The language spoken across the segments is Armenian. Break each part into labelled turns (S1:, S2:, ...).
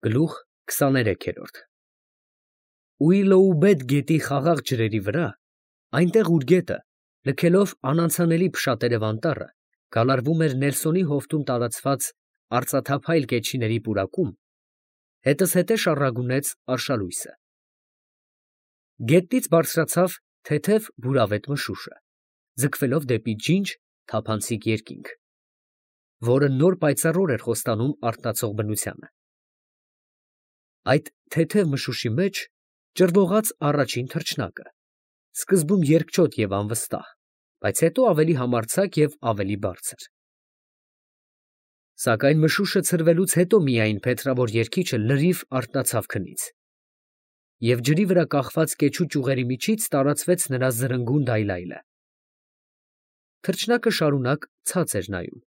S1: Գլուխ 23-րդ Ուիլոուբեդ գետի խաղաղ ջրերի վրա, այնտեղ ուր գետը, լքելով անանցանելի փշատերև անտառը, գալարվում էր Նելսոնի հովտում տարածված արծաթափայլ կեչիների պուրակում, հետզհետե շառագունեց արշալույսը։ Գետնից բարձրացավ թեթև բուրավետ մշուշը, ձգվելով դեպի ջինջ թափանցիկ երկինք, որը նոր պայծառոր էր խոստանում արթնացող բնությանը։ Այդ թեթև մշուշի մեջ ճռվողաց առաջին թռչնակը, սկզբում երկչոտ և անվստահ, բայց հետո ավելի համարձակ և ավելի բարձր։ Սակայն մշուշը ցրվելուց հետո միայն փետրավոր երգիչը լրիվ արթնացավ քնից, և ջրի վրա կախված կեչու ճյուղերի միջից տարածվեց նրա զրնգուն դայլայլը։ Թռչնակը շարունակ ցած էր նայում,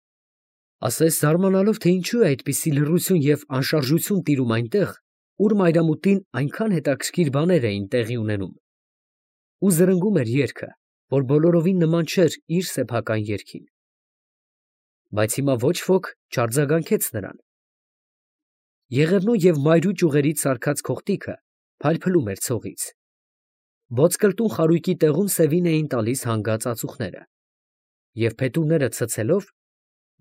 S1: ասես զարմանալով, թե ինչու է այդպիսի լռություն և անշարժություն տիրում այնտեղ, ուր մայրամուտին այնքան հետաքրքիր բաներ էին տեղի ունենում, ու զրնգում էր երգը, որ բոլորովին նման չէր իր սեփական երգին։ Բայց հիմա ոչ ոք չարձագանքեց նրան։ Եղևնու և մայրու ճյուղերից սարքած քողտիկը փայլփլում էր ցողից։ Ոսկրտուն խարույկի տեղում սևին էին տալիս հանգած ածուխները, և փետուրները ցցելով,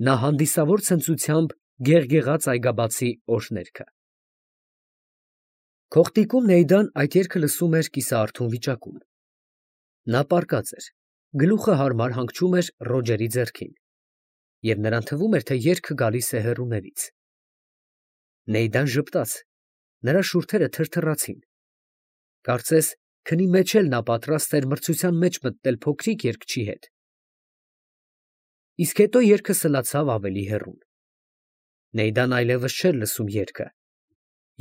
S1: նա հանդիսավոր ցնծությամբ գեղգեղաց այգաբացի օրհներգը։ Քողտիկում Նեյդան այդ երգը լսում էր կիսաարթուն վիճակում։ Նա պառկած էր, գլուխը հարմար հանգչում էր Ռոջերի ձեռքին, և նրան թվում էր, թե երգը գալիս է հեռուներից։ Նեյդան ժպտաց, նրա շուրթերը թրթռացին, կարծես քնի մեջ էլ նա պատրաստ էր մրցության մեջ մտնել փոքրիկ երգչի հետ։ Իսկ հետո երգը սլացավ ավելի հեռուն։ Նեյդան այլևս չէր լսում երգը,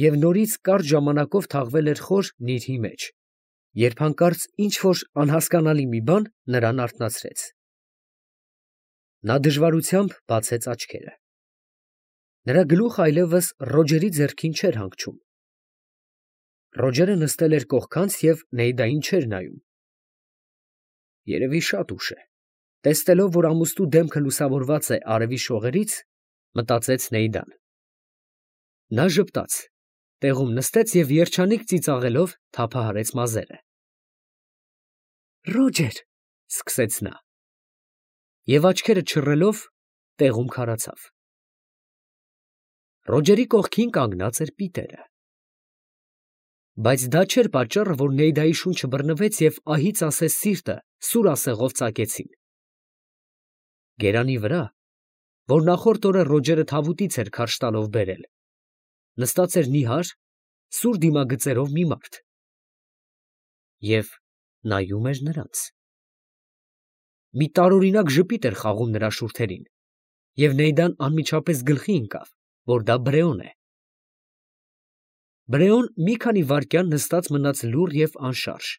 S1: և նորից կարճ ժամանակով թաղվել էր խոր նիրհի մեջ, երբ հանկարծ ինչ֊որ անհասկանալի մի բան նրան արթնացրեց։ Նա դժվարությամբ բացեց աչքերը։ Նրա գլուխը այլևս Ռոջերի ձեռքին չէր հանգչում։ Ռոջերը նստել էր կողքանց և Նեյդային չէր նայում։ Երևի շատ ուշ է, տեսնելով, որ ամուստու դեմքը լուսավորված է արևի շողերից, մտածեց Նեյդան։ Նա ժպտաց, տեղում նստեց և երջանիկ ծիծաղելով թափահարեց մազերը։ Ռոջեր, ֊ սկսեց նա, և աչքերը չռելով տեղում քարացավ։ Ռոջերի կողքին կանգնած էր Պիտերը։ Բայց դա չէր պատճառը, որ Նեյդայի շունչը բռնվեց և ահից ասես սիրտը սուր ասեղով ծակեցին։ Գերանի վրա, որ նախորդ օրը Ռոջերը թավուտից էր քարշ տալով բերել, նստած էր նիհար, սուր դիմագծերով մի մարդ և նայում էր նրանց։ Մի տարօրինակ ժպիտ էր խաղում նրա շուրթերին, և Նեյդան անմիջապես գլխի ընկավ, որ դա Բրեոն է։ Բրեոն մի քանի վայրկյան նստած մնաց լուռ և անշարժ,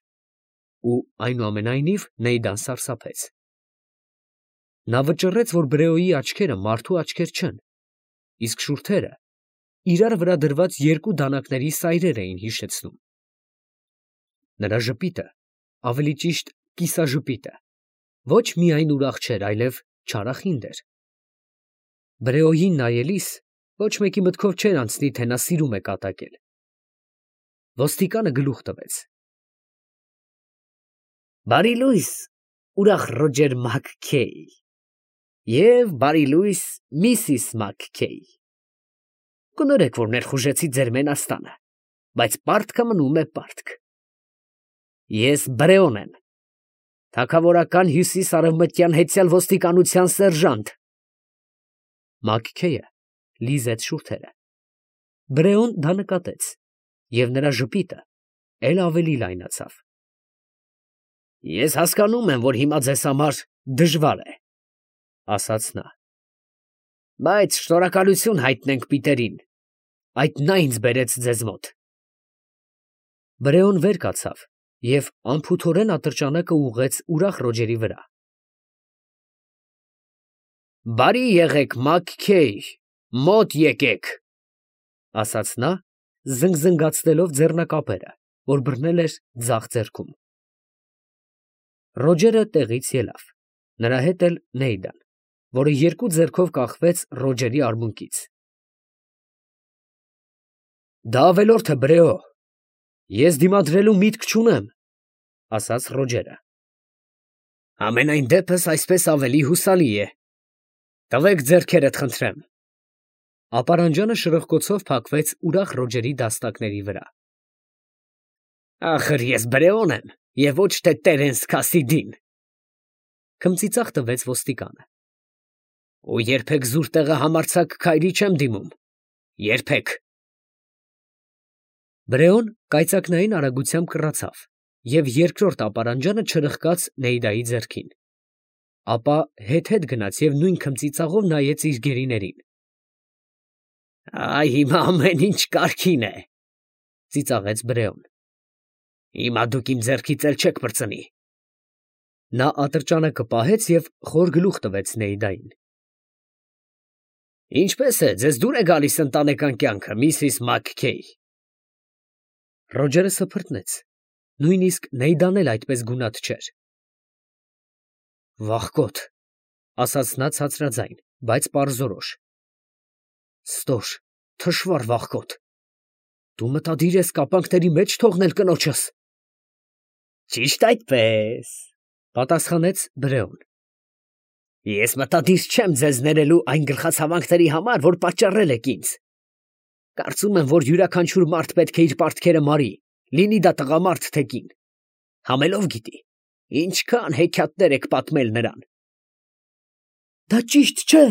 S1: ու այնուամենայնիվ Նեյդան սարսափեց։ Նա վճռեց, որ Բրեոյի աչքերը մարդու աչքեր չեն, իսկ շուրթերը իրար վրա դրված երկու դանակների սայրեր էին հիշեցնում։ Նրա ժպիտը, ավելի ճիշտ կիսաժպիտը, ոչ միայն ուրախ չէր, այլև չարախինդ էր։ Բրեոյին նայելիս ոչ մեկի մտքով չէր անցնի, թե նա սիրում է կատակել։ Ոստիկանը գլուխ տվեց. Բարի լույս, ուրախ Ռոջեր Մաքքեյ, և բարի լույս, Միսիս Մաքքեյ։ Կներեք, որ ներխուժեցի ձեր մենաստանը, բայց պարտքը մնում է պարտք։ Ես Բրեոն եմ, թագավորական հյուսիս֊արևմտյան հեծյալ ոստիկանության սերժանտ։ Մաքքեյը լիզեց շուրթերը։ Բրեոն դա նկատեց, և նրա ժպիտը էլ ավելի լայնացավ։ Ես հասկանում եմ, որ հիմա ձեզ համար դժվար է, ֊ ասաց նա, ֊ բայց շնորհակալություն հայտնենք Պիտերին, այդ նա ինձ բերեց ձեզ մոտ։ Բրեոն վեր կացավ և անփութորեն ատրճանակը ուղղեց ուրախ Ռոջերի վրա։ Բարի եղեք, Մաքքեյ, մոտ եկեք, ֊ ասաց նա, զնգզնգացնելով ձեռնակապերը, որ բռնել էր ձախ ձեռքում։ Ռոջերը տեղից ելավ, նրա հետ էլ Նեյդան, որը երկու ձեռքով կախվեց Ռոջերի արմունկից։ Դա ավելորդ է, Բրեո։ Ես դիմադրելու միտք չունեմ, ասաց Ռոջերը։ Ամենայն դեպս այսպես ավելի հուսալի է։ Տվեք ձեռքերդ, խնդրեմ։ Ապարանջանը շրխկոցով փակվեց ուրախ Ռոջերի դաստակների վրա։ Ախր ես Բրեոն եմ, եւ ոչ թե Տերենս Քասիդին։ Քմծիծաղ տվեց ոստիկանը։ Ու երբեք զուր տեղը համարձակ քայլի չեմ դիմում։ Երբեք։ Բրեոն կայծակնային արագությամբ կռացավ և երկրորդ ապարանջանը չրխկաց Նեյդայի ձեռքին։ Ապա հետ գնաց և նույն քմծիծաղով նայեց իր գերիներին։ Այ հիմա ամեն ինչ կարգին է, ծիծաղեց Բրեոն։ Հիմա դուք իմ ձեռքից էլ չեք պրծնի։ Նա ատրճանակը պահեց և խոր գլուխ տվեց Նեյդային։ Ինչպես է, ձեզ դուր է գալիս ընտանեկան կյանքը, Միսիս Մաքքեյ։ Ռոջերը սփռտնեց, նույնիսկ Նեյդան էլ այդպես գունատ չէր։ Վախկոտ, ասաց նա ցածրաձայն, բայց պարզորոշ։ Ստոր, թշվառ վախկոտ։ Դու մտադիր ես կապանքների մեջ թողնել կնոջս։ Ճիշտ այդպես, պատասխանեց Բրեոն։ Ես մտադիր չեմ ձեզ ներելու այն գլխացավանքների համար, որ պատճառել եք ինձ։ Կարծում եմ, որ յուրաքանչյուր մարդ պետք է իր պարտքերը մարի, լինի դա տղամարդ թե կին։ Համելով գիտի, ինչքան հեքիաթներ եք պատմել նրան։ Դա ճիշտ չէ,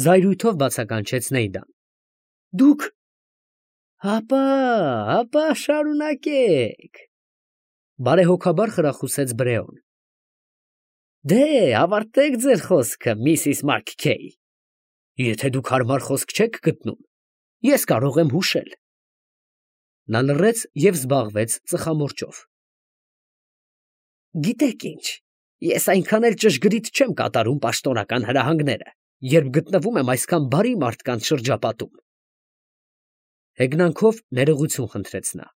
S1: զայրույթով բացականչեց Նեյդան։ Դուք… Հապա, շարունակեք, բարեհոգաբար խրախուսեց Բրեոն։ Դե, ավարտեք ձեր խոսքը, Միսիս Մաքքեյ։ Եթե դուք հարմար խոսք չեք գտնում, ես կարող եմ հուշել։ Նա լռեց և զբաղվեց ծխամորճով։ Գիտեք ինչ, ես այնքան էլ ճշգրիտ չեմ կատարում պաշտոնական հրահանգները, երբ գտնվում եմ այսքան բարի մարդկանց շրջապատում։ Հեգնանքով ներողություն խնդրեց նա։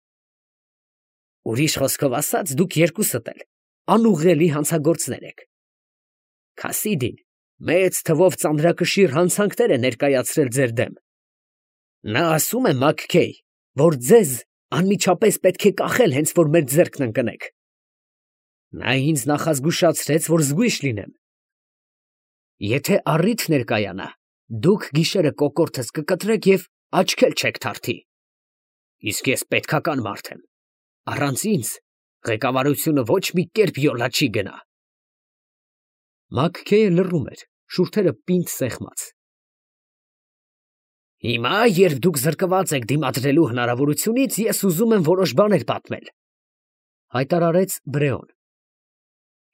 S1: Ուրիշ խոսքով ասած, դուք երկուսդ էլ անուղղելի հանցագործներ եք։ Քասիդին մեծ թվով ծանրակշիռ հանցանքներ է ներկայացրել ձեր դեմ։ Նա ասում է, Մաքքեյ, որ ձեզ անմիջապես պետք է կախել, հենց որ մեր ձեռքն ընկնեք։ Նա ինձ նախազգուշացրեց, որ զգույշ լինեմ։ Եթե առիթ ներկայանա, դուք գիշերը կոկորդս կկտրեք և աչք էլ չեք թարթի։ Իսկ ես պետքական մարդ եմ։ Առանց ինձ ղեկավարությունը ոչ մի կերպ յոլա չի գնա։ Մաքքեյը լռում էր, շուրթերը պինդ սեղմած։ Հիմա, երբ դուք զրկված եք դիմադրելու հնարավորությունից, ես ուզում եմ որոշ բաներ պատմել, հայտարարեց Բրեոն։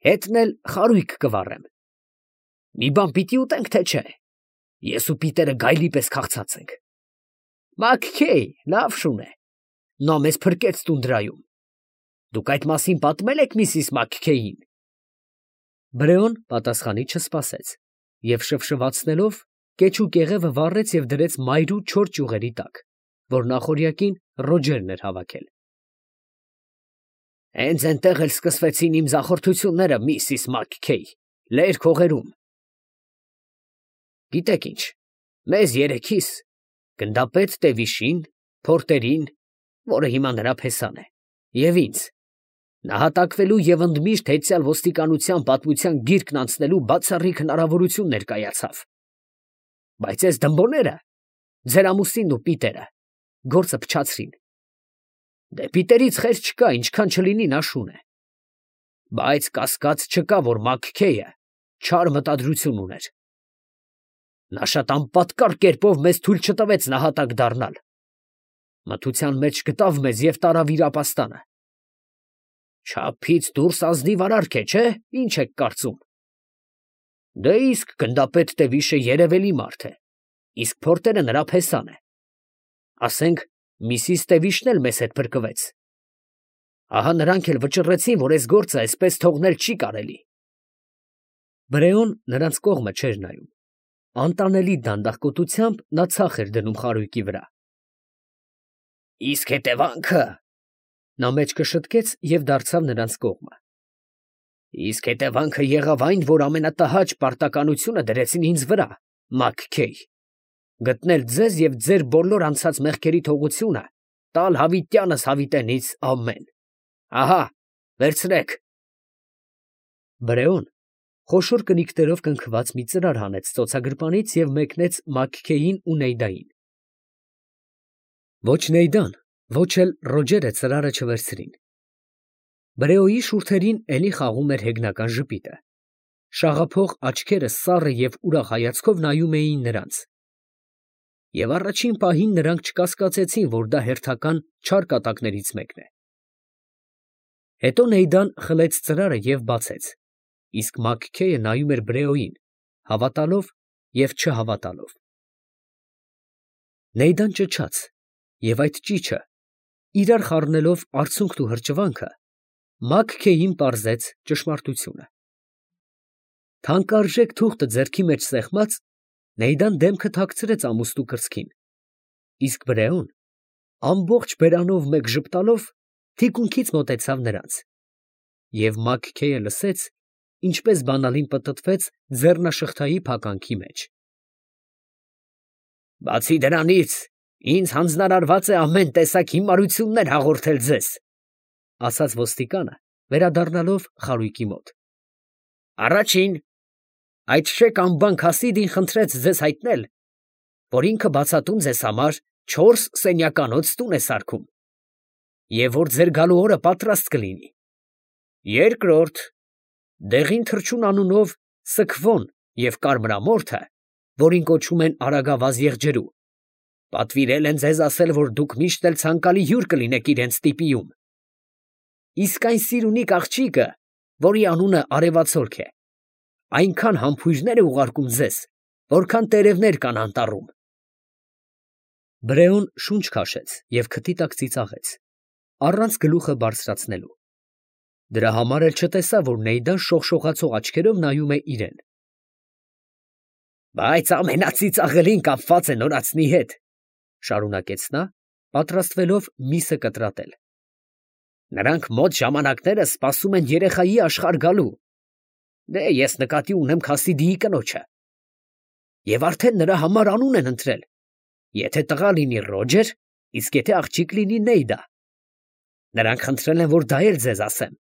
S1: Հետն էլ խարույկ կվառեմ։ Մի բան պիտի ուտենք, թե չէ։ Ես ու Պիտերը գայլի պես քաղցած ենք։ Մաքքեյ, լավ շուն է։ Նա մեզ փրկեց տունդրայում։ Դուք այդ մասին պատմել եք Միսիս Մաքքեյին։ Բրեոն պատասխանի չսպասեց և շվշվացնելով կեչ ու կեղևը վառեց և դրեց մայրու չոր ճյուղերի տակ, որ նախօրյակին Ռոջերն էր հավաքել։ Հենց այնտեղ էլ սկսվեցին իմ ձախորդությունները, Միսիս Մաքքեյ, լերկ հողերում։ Գիտեք ինչ, մեզ երեքիս, գնդապետ Տևիշին, Փորտերին, որը հիմա նրա փեսան է, և ինձ, նահատակվելու և ընդմիշտ հետևյալ ոստիկանության պատմության գիրկն անցնելու բացառիկ հնարավորություն ներկայացավ։ Բայց այս դմբոները, ձեր ամուսինն ու Պիտերը, գործը փչացրին։ Դե Պիտերից խեր չկա, ինչքան չլինի նա շուն է։ Բայց կասկած չկա, որ Մաքքեյը չար մտադրություն ուներ։ Նա շատ անպատկառ կերպով մեզ թույլ չտվեց նահատակ դառնալ։ Մթության մեջ գտավ մեզ և տարավ իր ապաստանը։ Չափից դուրս ազնիվ արարք է, չէ՞, ինչ եք կարծում։ Դե իսկ գնդապետ Տևիշը երևելի մարդ է, իսկ Փորտերը նրա փեսան է։ Ասենք, Միսիս Տևիշն էլ մեզ հետ փրկվեց։ Ահա նրանք էլ վճռեցին, որ այս գործը այսպես թողնել չի կարելի։ Բրեոն նրանց կողմը չէր նայում։ Անտանելի դանդաղկոտությամբ նա ցախ էր դնում խարույկի վրա։ Իսկ հետևանքը… Նա մեջքը շտկեց և դարձավ նրանց կողմը։ Իսկ հետևանքը եղավ այն, որ ամենատհաճ պարտականությունը դրեցին ինձ վրա, Մաքքեյ։ գտնել ձեզ և ձեր բոլոր անցած մեղքերի թողությունը, տալ հավիտյանս հավիտենից ամեն։ Ահա, վերցրեք։ Բրեոն խոշոր կնիկներով կնքված մի ծրար հանեց ծոցագրպանից և մեկնեց Մաքքեյին ու Նեյդային։ Ոչ Նեյդան, ոչ էլ Ռոջերը ծրարը չվերցրին։ Բրեոյի շուրթերին էլի խաղում էր հեգնական ժպիտը։ Շաղափող աչքերը սառը և ուրախ հայացքով նայում էին նրանց։ Եվ առաջին պահին նրանք չկասկածեցին, որ դա հերթական չար կատակներից մեկն է։ Հետո Նեյդան խլեց ծրարը և բացեց, իսկ Մաքքեյը նայում էր Բրեոյին, հավատալով և չհավատալով։ Նեյդան ճչաց, և այդ ճիչը, իրար խառնելով արցունքն ու հրճվանքը, Մաքքեյին պարզեց ճշմարտությունը։ Թանկարժեք թուղթը ձեռքի մեջ սեղմած, Նեյդան դեմքը թաքցրեց ամուստու կրծքին, իսկ Բրեոն ամբողջ բերանով մեկ ժպտալով թիկունքից մոտեցավ նրանց, և Մաքքեյը լսեց, ինչպես բանալին պտտվեց ձեռնաշղթայի փականքի մեջ։ Բացի դրանից, ինձ հանձնարարված է ամեն տեսակ հիմարություններ հաղորդել ձեզ, ասաց ոստիկանը, վերադառնալով խարույկի մոտ։ Առաջին, այդ շեք անբան Քասիդին խնդրեց ձեզ հայտնել, որ ինքը բացատում ձեզ համար 4 սենյականոց տուն է սարքում, և որ ձեր գալու օրը պատրաստ կլինի։ Երկրորդ, դեղին թռչուն անունով Սքվոն և կարմրամորթը, որին կոչում են Արագավազ եղջերու, պատվիրել են ձեզ ասել, որ դուք միշտ էլ ցանկալի հյուր կլինեք իրենց տիպիում։ Իսկ այն սիրունիկ աղջիկը, որի անունը Արևածորք է, այնքան համբույրներ է ուղարկում ձեզ, որքան տերևներ կան անտառում։ Բրեոն շունչ քաշեց և քթի տակ ծիծաղեց, առանց գլուխը բարձրացնելու։ Դրա համար էլ չտեսավ, որ Նեյդան շողշողացող աչքերով նայում է իրեն։ Բայց ամենածիծաղելին կապված է նորածնի հետ, շարունակեց նա, պատրաստվելով միսը կտրատել։ Նրանք մոտ ժամանակները սպասում են երեխայի աշխարհ գալու։ Դե ես նկատի ունեմ Քասիդիի կնոջը։ Եվ արդեն նրա համար անուն են ընտրել, եթե տղա լինի Ռոջեր, իսկ եթե աղջիկ լինի Նեյդա։ Նրանք խնդրել են, որ դա էլ ձեզ ասեմ։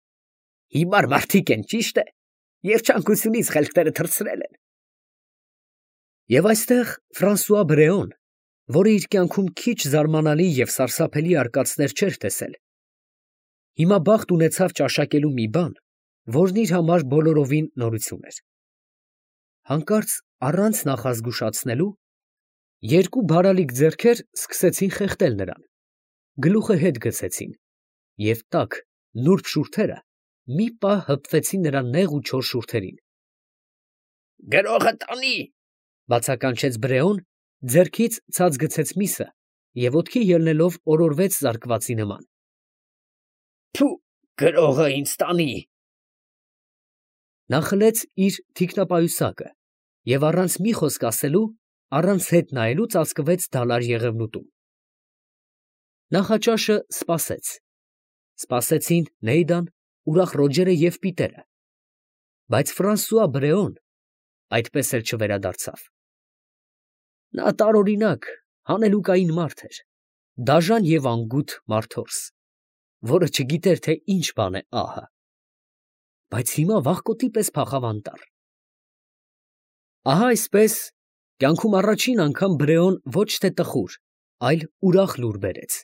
S1: Հիմար մարդիկ են, ճիշտ է, երջանկությունից խելքները թռցրել են։ Եվ այստեղ Ֆրանսուଆ Բրեոն, որը իր կյանքում քիչ զարմանալի և սարսափելի արկածներ չէր տեսել, հիմա բախտ ունեցավ ճաշակելու մի բան, որն իր համար բոլորովին նորություն էր։ Հանկարծ առանց նախազգուշացնելու երկու բարալիկ ձեռքեր սկսեցին խեղդել նրան, գլուխը հետ գցեցին, և տաք, նուրբ շուրթերը մի պահ հպվեցին նրա նեղ ու չոր շուրթերին։ Գրողը տանի, բացականչեց Բրեոն, ձեռքից ցած գցեց միսը և ոտքի ելնելով օրորվեց զարկվածի նման։ Փու, գրողը ինձ տանի։ Նա խլեց իր թիկնապայուսակը և առանց մի խոսք ասելու, առանց հետ նայելու ծածկվեց դալար եղևնուտում։ Նախաճաշը սպասեց։ Սպասեցին Նեյդան, ուրախ Ռոջերը և Պիտերը, բայց Ֆրանսուଆ Բրեոն այդպես էլ չվերադարձավ։ Նա տարօրինակ, հանելուկային մարդ էր, դաժան և անգութ մարդորս, որը չգիտեր, թե ինչ բան է ահը, բայց հիմա վախկոտի պես փախավ անտառ։ Ահա այսպես, կյանքում առաջին անգամ Բրեոն ոչ թե տխուր, այլ ուրախ լուր բերեց։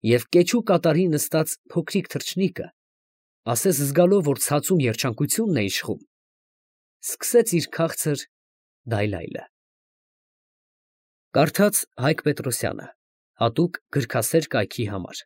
S1: Եվ կեչու կատարի նստած փոքրիկ թռչնիկը, ասես զգալով, որ ցածում երջանկությունն է իշխում, սկսեց իր քաղցր դայլայլը։ Կարդաց Հայկ Պետրոսյանը, հատուկ գրքասեր կայքի համար։